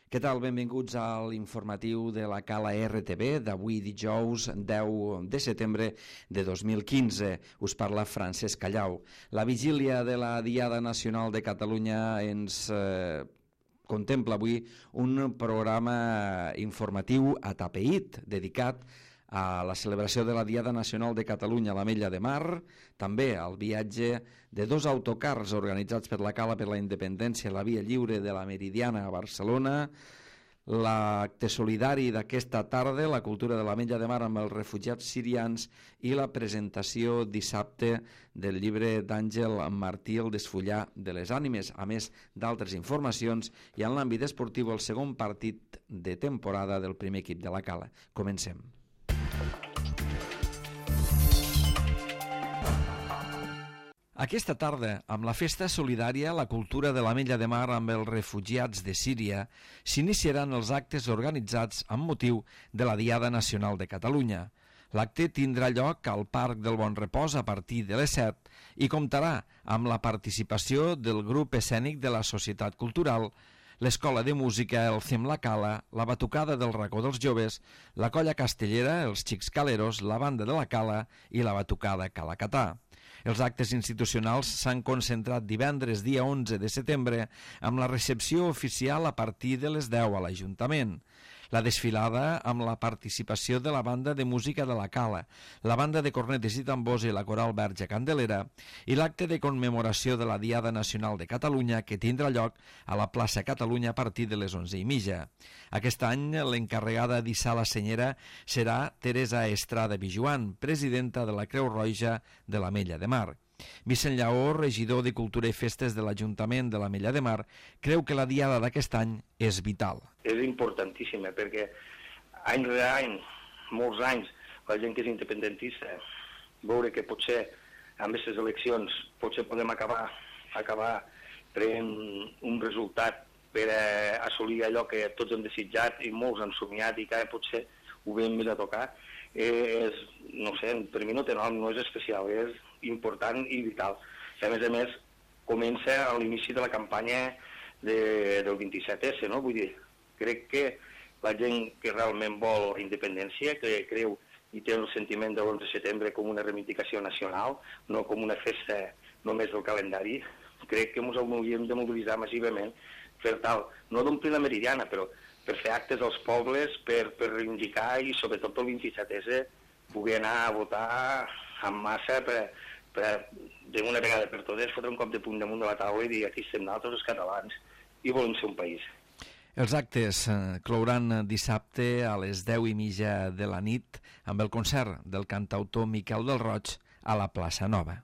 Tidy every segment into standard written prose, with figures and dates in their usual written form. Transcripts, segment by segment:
Què tal? Benvinguts a l'informatiu de la Cala RTV d'avui dijous 10 de setembre de 2015. Us parla Francesc Callau. La vigília de la Diada Nacional de Catalunya ens contempla avui un programa informatiu atapeït dedicat a la celebració de la Diada Nacional de Catalunya a l'Ametlla de Mar, també al viatge de dos autocars organitzats per la Cala per la Independència a la Via Lliure de la Meridiana a Barcelona, l'acte solidari d'aquesta tarda, la cultura de l'Ametlla de Mar amb els refugiats sirians i la presentació dissabte del llibre d'Àngel Martí, El desfollar de les ànimes, a més d'altres informacions, i en l'àmbit esportiu el segon partit de temporada del primer equip de la Cala. Comencem. Aquesta tarda, amb la festa solidària, la cultura de l'Ametlla de Mar amb els refugiats de Síria, s'iniciaran els actes organitzats amb motiu de la Diada Nacional de Catalunya. L'acte tindrà lloc al Parc del Bon Repòs a partir de les 7 i comptarà amb la participació del grup escènic de la Societat Cultural, l'Escola de Música, el CEM La Cala, la Batucada del Racó dels Joves, la Colla Castellera, els Xics Caleros, la Banda de la Cala i la Batucada Calacatà. Els actes institucionals s'han concentrat divendres, dia 11 de setembre, amb la recepció oficial a partir de les 10 a l'Ajuntament. La desfilada amb la participació de la Banda de Música de la Cala, la Banda de Cornetes i Tambors i la Coral Verge Candelera i l'acte de commemoració de la Diada Nacional de Catalunya que tindrà lloc a la plaça Catalunya a partir de les 11:30. Aquest any l'encarregada d'hissar la senyera serà Teresa Estrada Vijuan, presidenta de la Creu Roja de l'Ametlla de Mar. Vicent Lleó, regidor de Cultura i Festes de l'Ajuntament de l'Ametlla de Mar, creu que la diada d'aquest any és vital. És importantíssima perquè any rere any, molts anys, la gent que és independentista, veure que potser amb aquestes eleccions potser podem acabar prenent un resultat per assolir allò que tots hem desitjat i molts han somiat i que potser ho vam mirar a tocar, no sé, per mi no té nom, no és especial, és important i vital. I a més, comença a l'inici de la campanya del 27S, no? Vull dir, crec que la gent que realment vol la independència, que creu i té el sentiment de l'11 de setembre com una reivindicació nacional, no com una festa només del calendari, crec que ens hauríem de mobilitzar massivament per tal, no d'omplir la Meridiana, però per fer actes als pobles, per reivindicar i sobretot pel 27S poder anar a votar en massa per d'una vegada per totes fotre un cop de punt damunt de la taula i dir aquí estem nosaltres els catalans i volem ser un país. Els actes clouran dissabte a les 10:30 de la nit amb el concert del cantautor Miquel del Roig a la plaça Nova.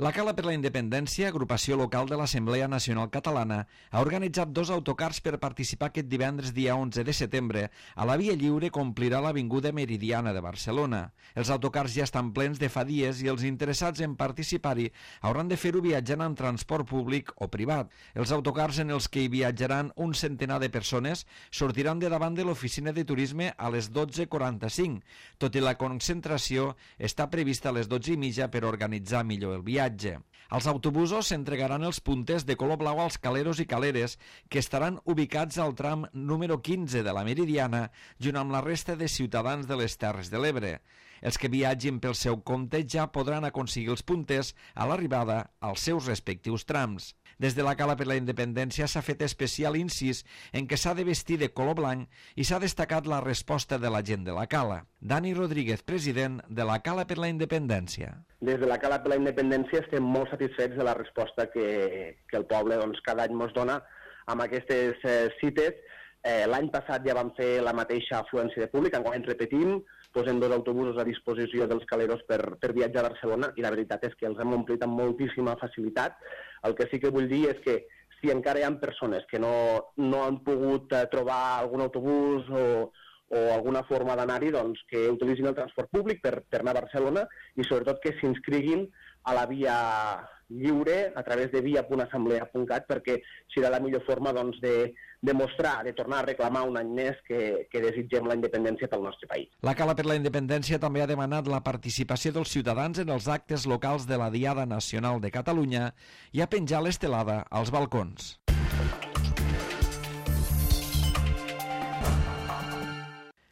La Cala per la Independència, agrupació local de l'Assemblea Nacional Catalana, ha organitzat dos autocars per participar aquest divendres dia 11 de setembre a la Via Lliure que omplirà l'Avinguda Meridiana de Barcelona. Els autocars ja estan plens de fa dies i els interessats en participar-hi hauran de fer-ho viatjant en transport públic o privat. Els autocars en els que hi viatjaran un centenar de persones sortiran de davant de l'oficina de turisme a les 12:45, tot i la concentració està prevista a les 12:30 per organitzar millor el viatge. Els autobusos s'entregaran els punters de color blau als caleros i caleres que estaran ubicats al tram número 15 de la Meridiana junt amb la resta de ciutadans de les Terres de l'Ebre. Els que viatgin pel seu compte ja podran aconseguir els punters a l'arribada als seus respectius trams. Des de la Cala per la Independència s'ha fet especial incís en què s'ha de vestir de color blanc i s'ha destacat la resposta de la gent de la Cala. Dani Rodríguez, president de la Cala per la Independència. Des de la Cala per la Independència estem molt satisfets de la resposta que el poble cada any ens dona amb aquestes cites. L'any passat ja vam fer la mateixa afluència de públic, enguany repetim, posem dos autobusos a disposició dels caleros per viatjar a Barcelona i la veritat és que els hem omplit amb moltíssima facilitat. El que sí que vull dir és que si encara hi ha persones que no han pogut trobar algun autobús o alguna forma d'anar-hi, doncs que utilitzin el transport públic per anar a Barcelona i sobretot que s'inscriguin a la via lliure a través de via.assemblea.cat, perquè serà la millor forma doncs, de mostrar, de tornar a reclamar un any més que desitgem la independència pel nostre país. La Cala per la Independència també ha demanat la participació dels ciutadans en els actes locals de la Diada Nacional de Catalunya i ha penjat l'estelada als balcons.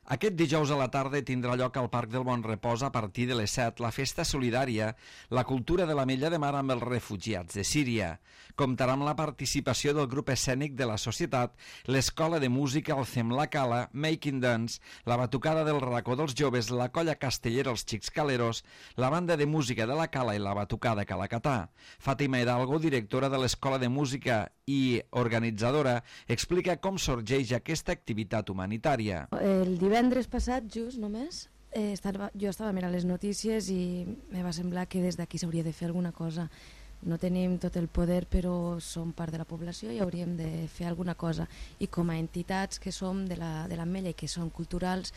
Aquest dijous a la tarda tindrà lloc al Parc del Bon Repòs a partir de les 7 la festa solidària La cultura de l'Ametlla de Mar amb els refugiats de Síria. Comptarà amb la participació del grup escènic de la societat, l'Escola de Música El Cem La Cala, Making Dance, la Batucada del Racó dels Joves, la Colla Castellera Els Xics Caleros, la Banda de Música de la Cala i la Batucada Calacatà. Fàtima Hidalgo, directora de l'Escola de Música i organitzadora, explica com sorgeix aquesta activitat humanitària. El divendres passat, just només, jo estava mirant les notícies i me va semblar que des d'aquí s'hauria de fer alguna cosa. No tenim tot el poder, però som part de la població i hauríem de fer alguna cosa. I com a entitats que som de l'Ametlla i que són culturals,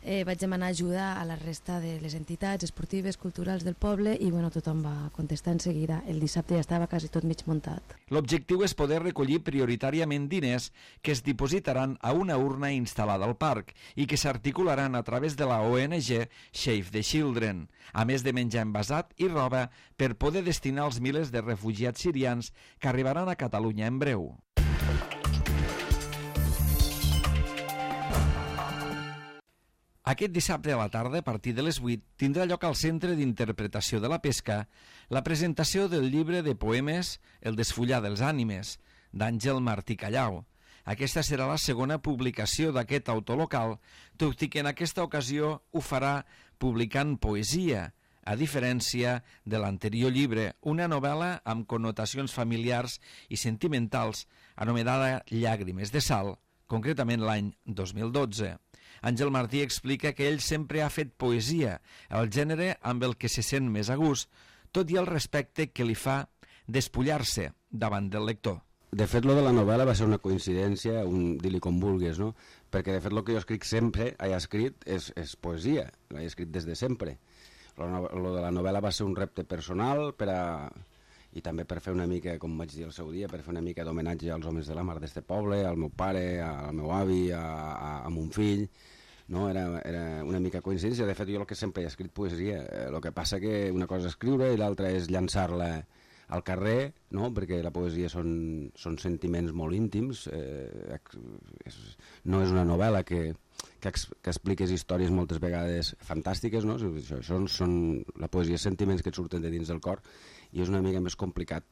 vaig demanar ajuda a la resta de les entitats esportives, culturals del poble i tothom va contestar en seguida. El dissabte ja estava quasi tot mig muntat. L'objectiu és poder recollir prioritàriament diners que es dipositaran a una urna instal·lada al parc i que s'articularan a través de la ONG Save the Children, a més de menjar envasat i roba per poder destinar als milers de refugiats sirians que arribaran a Catalunya en breu. Aquest dissabte a la tarda, a partir de les 8, tindrà lloc al Centre d'Interpretació de la Pesca la presentació del llibre de poemes El desfullar dels ànimes, d'Àngel Martí Callau. Aquesta serà la segona publicació d'aquest autor local, tot i que en aquesta ocasió ho farà publicant poesia, a diferència de l'anterior llibre, una novel·la amb connotacions familiars i sentimentals anomenada Llàgrimes de sal, concretament l'any 2012. Àngel Martí explica que ell sempre ha fet poesia, el gènere amb el que se sent més a gust, tot i el respecte que li fa despullar-se davant del lector. De fet, lo de la novel·la va ser una coincidència, dir-li com vulguis, no? Perquè de fet el que jo escric sempre, he escrit, és poesia, l'he escrit des de sempre. Lo de la novel·la va ser un repte personal i també per fer una mica, com vaig dir el seu dia, per fer una mica d'homenatge als homes de la mar d'este poble, al meu pare, al meu avi, a mon fill, no? Era una mica coincidència. De fet, jo el que sempre he escrit poesia, el que passa que una cosa és escriure i l'altra és llançar-la al carrer, no? Perquè la poesia són sentiments molt íntims, no és una novel·la que expliques històries moltes vegades fantàstiques, no? Això són la poesia, sentiments que et surten de dins del cor, i és una mica més complicat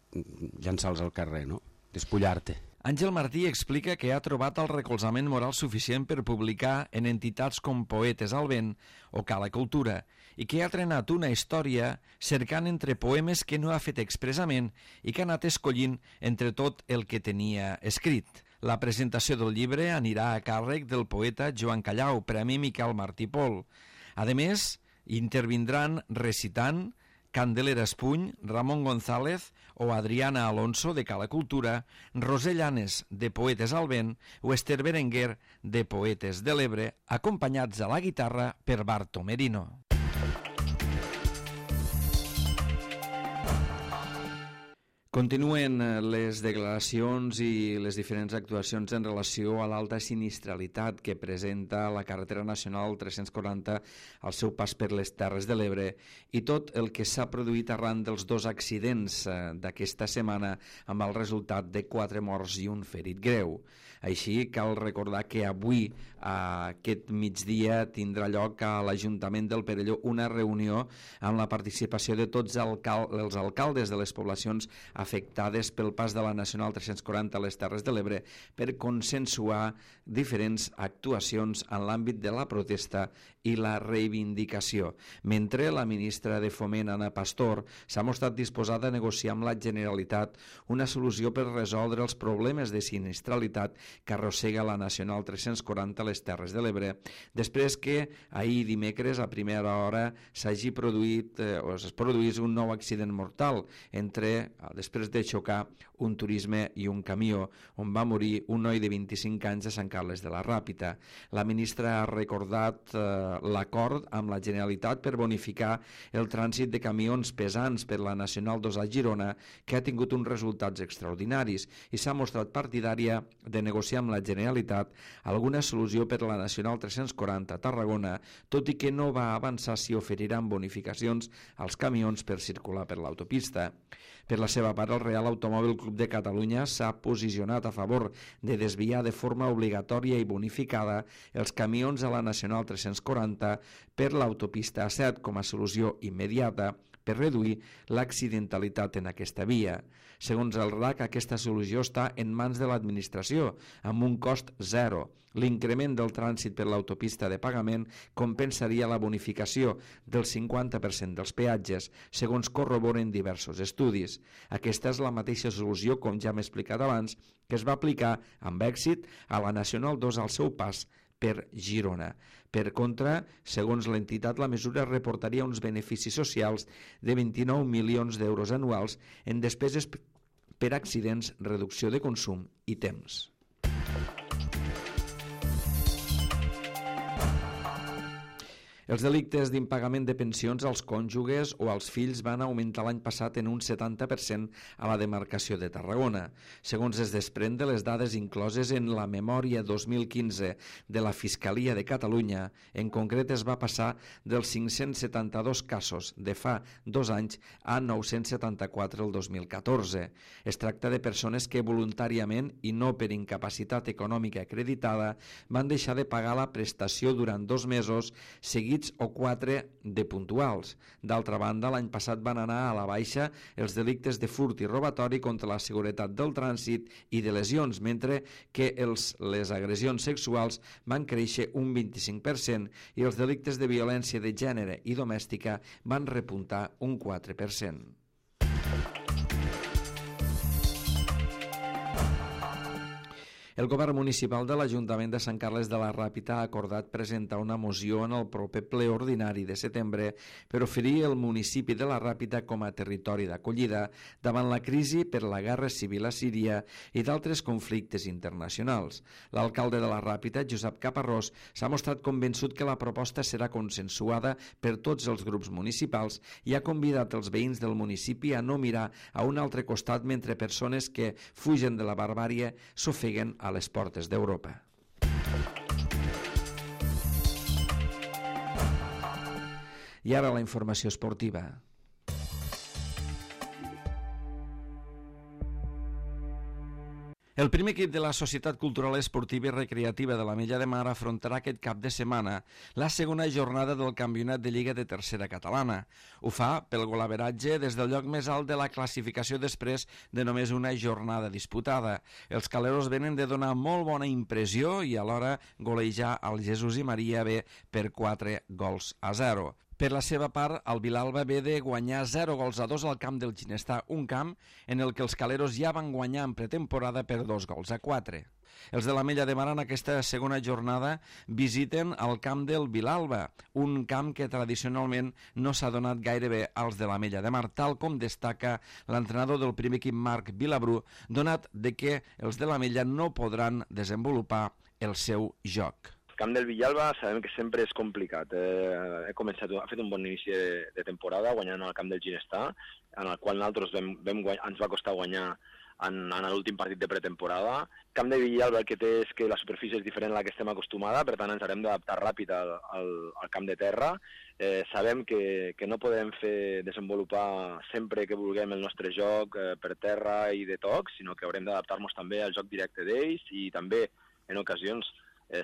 llançar-los al carrer, no? Despullar-te. Àngel Martí explica que ha trobat el recolzament moral suficient per publicar en entitats com Poetes al Vent o Cala Cultura i que ha trenat una història cercant entre poemes que no ha fet expressament i que ha anat escollint entre tot el que tenia escrit. La presentació del llibre anirà a càrrec del poeta Joan Callau, Premi Miquel Martí Pol. A més, intervindran recitant Candelera Espuny, Ramon González o Adriana Alonso de Cala Cultura, Roser Llanes de Poetes al Vent o Esther Berenguer de Poetes de l'Ebre, acompanyats a la guitarra per Barto Merino. Continuen les declaracions i les diferents actuacions en relació a l'alta sinistralitat que presenta la carretera nacional 340 al seu pas per les Terres de l'Ebre i tot el que s'ha produït arran dels dos accidents d'aquesta setmana amb el resultat de 4 morts i un ferit greu. Així, cal recordar que avui, aquest migdia, tindrà lloc a l'Ajuntament del Perelló una reunió amb la participació de tots els alcaldes de les poblacions afectades pel pas de la Nacional 340 a les Terres de l'Ebre per consensuar diferents actuacions en l'àmbit de la protesta i la reivindicació. Mentre la ministra de Foment, Ana Pastor, s'ha mostrat disposada a negociar amb la Generalitat una solució per resoldre els problemes de sinistralitat que arrossega la Nacional 340 a les Terres de l'Ebre, després que ahir dimecres a primera hora s'hagi produït o es produís un nou accident mortal després després de xocar un turisme i un camió, on va morir un noi de 25 anys a Sant Carles de la Ràpita. La ministra ha recordat l'acord amb la Generalitat per bonificar el trànsit de camions pesants per la Nacional 2 a Girona, que ha tingut uns resultats extraordinaris, i s'ha mostrat partidària de negociar amb la Generalitat alguna solució per la Nacional 340 a Tarragona, tot i que no va avançar si oferiran bonificacions als camions per circular per l'autopista. Per la seva part, el Real Automòbil Club de Catalunya s'ha posicionat a favor de desviar de forma obligatòria i bonificada els camions a la Nacional 340 per l'autopista A7 com a solució immediata per reduir l'accidentalitat en aquesta via. Segons el RAC, aquesta solució està en mans de l'administració, amb un cost zero. L'increment del trànsit per l'autopista de pagament compensaria la bonificació del 50% dels peatges, segons corroboren diversos estudis. Aquesta és la mateixa solució, com ja hem explicat abans, que es va aplicar amb èxit a la Nacional 2 al seu pas per Girona. Per contra, segons l'entitat, la mesura reportaria uns beneficis socials de 29 milions d'euros anuals en despeses per accidents, reducció de consum i temps. Els delictes d'impagament de pensions als cònjuges o als fills van augmentar l'any passat en un 70% a la demarcació de Tarragona. Segons es desprèn de les dades incloses en la memòria 2015 de la Fiscalia de Catalunya, en concret es va passar dels 572 casos de fa 2 anys a 974 el 2014. Es tracta de persones que voluntàriament i no per incapacitat econòmica acreditada van deixar de pagar la prestació durant 2 mesos seguits o 4 de puntuals. D'altra banda, l'any passat van anar a la baixa els delictes de furt i robatori contra la seguretat del trànsit i de lesions, mentre que les agressions sexuals van créixer un 25% i els delictes de violència de gènere i domèstica van repuntar un 4%. El govern municipal de l'Ajuntament de Sant Carles de la Ràpita ha acordat presentar una moció en el proper ple ordinari de setembre per oferir el municipi de la Ràpita com a territori d'acollida davant la crisi per la guerra civil a Síria i d'altres conflictes internacionals. L'alcalde de la Ràpita, Josep Caparrós, s'ha mostrat convençut que la proposta serà consensuada per tots els grups municipals i ha convidat els veïns del municipi a no mirar a un altre costat mentre persones que fugen de la barbàrie s'ofeguen a les portes d'Europa. I ara la informació esportiva. El primer equip de la Societat Cultural Esportiva i Recreativa de l'Ametlla de Mar afrontarà aquest cap de setmana la segona jornada del Campionat de Lliga de Tercera Catalana. Ho fa pel golaveratge des del lloc més alt de la classificació després de només una jornada disputada. Els caleros venen de donar molt bona impressió i alhora golejar el Jesús i Maria B per 4-0. Per la seva part, el Vilalba ve de guanyar 0-2 al camp del Ginestar, un camp en el que els caleros ja van guanyar en pretemporada per 2-4. Els de l'Ametlla de Mar en aquesta segona jornada visiten el camp del Vilalba, un camp que tradicionalment no s'ha donat gaire bé als de l'Ametlla de Mar, tal com destaca l'entrenador del primer equip Marc Vilabrú, donat de que els de l'Ametlla no podran desenvolupar el seu joc. El camp del Villalba sabem que sempre és complicat. Ha fet un bon inici de temporada guanyant al camp del Ginestar, en el qual nosaltres ens va costar guanyar en l'últim partit de pretemporada. El camp de Villalba el que té és que la superfície és diferent a la que estem acostumada, per tant ens haurem d'adaptar ràpid al camp de terra. Sabem que no podem desenvolupar sempre que vulguem el nostre joc per terra i de tocs, sinó que haurem d'adaptar-nos també al joc directe d'ells i també, en ocasions,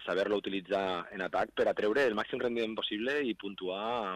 saber-lo utilitzar en atac per atreure el màxim rendiment possible i puntuar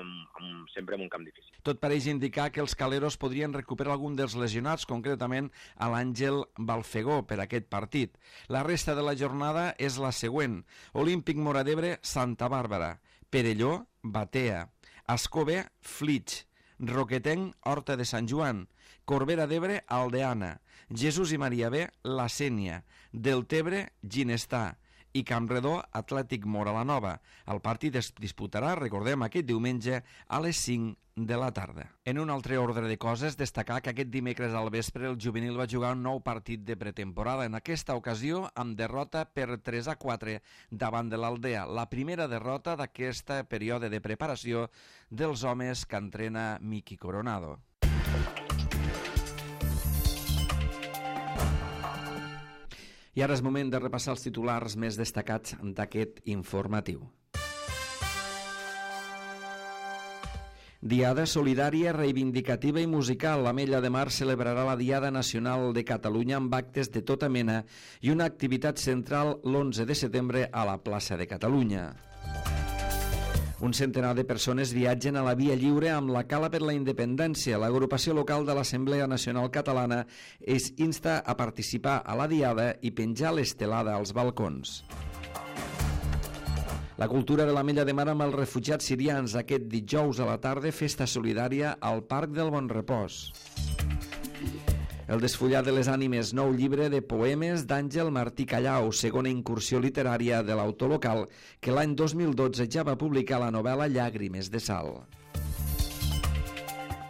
sempre en un camp difícil. Tot pareix indicar que els caleros podrien recuperar algun dels lesionats, concretament a l'Àngel Balfegó per aquest partit. La resta de la jornada és la següent: Olímpic Móra d'Ebre, Santa Bàrbara; Perelló, Batea; Ascó-B, Flix; Roquetenc, Horta de Sant Joan; Corbera d'Ebre, Aldeana; Jesús i Maria B, La Sénia; Deltebre, Ginestar; i Campredó Atlètic Móra la Nova. El partit es disputarà, recordem, aquest diumenge a les 5 de la tarda. En un altre ordre de coses, destacar que aquest dimecres al vespre el juvenil va jugar un nou partit de pretemporada, en aquesta ocasió amb derrota per 3-4 davant de l'Aldea, la primera derrota d'aquest període de preparació dels homes que entrena Miki Coronado. I ara és moment de repassar els titulars més destacats d'aquest informatiu. Diada solidària, reivindicativa i musical. L'Ametlla de Mar celebrarà la Diada Nacional de Catalunya amb actes de tota mena i una activitat central l'11 de setembre a la plaça de Catalunya. Un centenar de persones viatgen a la Via Lliure amb la Cala per la Independència. L'agrupació local de l'Assemblea Nacional Catalana es insta a participar a la Diada i penjar l'estelada als balcons. La cultura de l'Ametlla de Mar amb els refugiats sirians. Aquest dijous a la tarda, festa solidària al Parc del Bon Repòs. El desfullar de les ànimes, nou llibre de poemes d'Àngel Martí Callau, segona incursió literària de l'autor local, que l'any 2012 ja va publicar la novel·la Llàgrimes de Sal.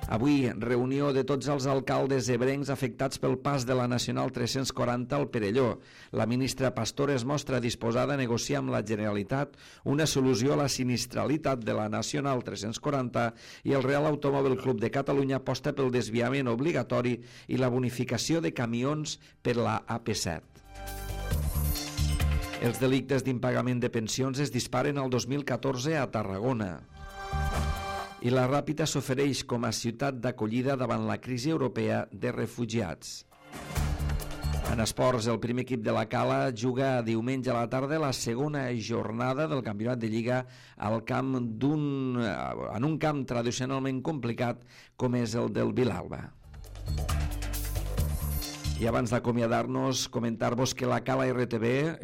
Avui, reunió de tots els alcaldes ebrencs afectats pel pas de la Nacional 340 al Perelló. La ministra Pastor es mostra disposada a negociar amb la Generalitat una solució a la sinistralitat de la Nacional 340 i el Real Automòbil Club de Catalunya aposta pel desviament obligatori i la bonificació de camions per la AP7. Els delictes d'impagament de pensions es disparen al 2014 a Tarragona. I la Ràpita s'ofereix com a ciutat d'acollida davant la crisi europea de refugiats. En esports, el primer equip de la Cala juga diumenge a la tarda la segona jornada del campionat de Lliga al camp en un camp tradicionalment complicat com és el del Vilalba. I abans d'acomiadar-nos, comentar-vos que la Cala RTV,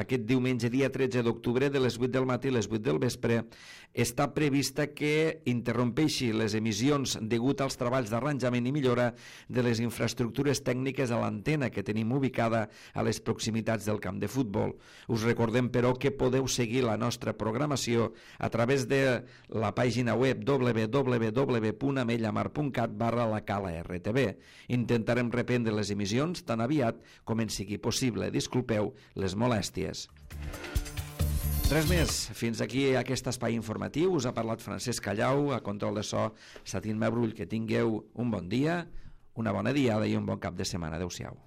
aquest diumenge, dia 13 d'octubre, de les 8 del matí a les 8 del vespre, està prevista que interrompeixi les emissions degut als treballs d'arranjament i millora de les infraestructures tècniques a l'antena que tenim ubicada a les proximitats del camp de futbol. Us recordem, però, que podeu seguir la nostra programació a través de la pàgina web www.ametlamar.cat/la Cala RTV. Intentarem reprendre les emissions tan aviat com en sigui possible. Disculpeu les molèsties. Res més, fins aquí aquest espai informatiu. Us ha parlat Francesc Callau, a control de so Satín Mabrull. Que tingueu un bon dia, una bona diada i un bon cap de setmana. Adéu-siau.